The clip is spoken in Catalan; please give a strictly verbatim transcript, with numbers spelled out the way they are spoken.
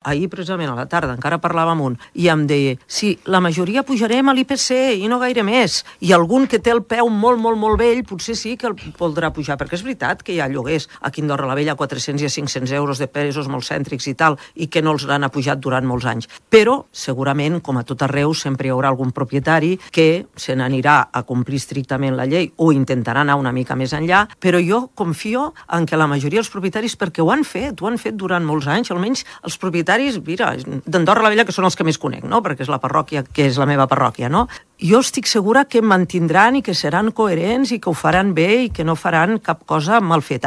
Ahir, precisament, a la tarda, encara parlava amb un, i em deia, sí, la majoria pujarem a l'I P C i no gaire més, i algun que té el peu molt, molt, molt vell, potser sí que el voldrà pujar, perquè és veritat que hi ha lloguers aquí a Andorra la Vella a quatre-cents i a cinc-cents euros de pisos molt cèntrics i tal, i que no els l'han apujat durant molts anys. Però, segurament, com a tot arreu, sempre hi haurà algun propietari que se n'anirà a complir estrictament la llei o intentarà anar una mica més enllà, però jo confio en que la majoria dels propietaris, perquè ho han fet, ho han fet durant molts anys, almenys els propietaris mira, d'Andorra la Vella, que són els que més conec, no? Perquè és la parròquia que és la meva parròquia, no? Jo estic segura que mantindran i que seran coherents i que ho faran bé i que no faran cap cosa mal feta.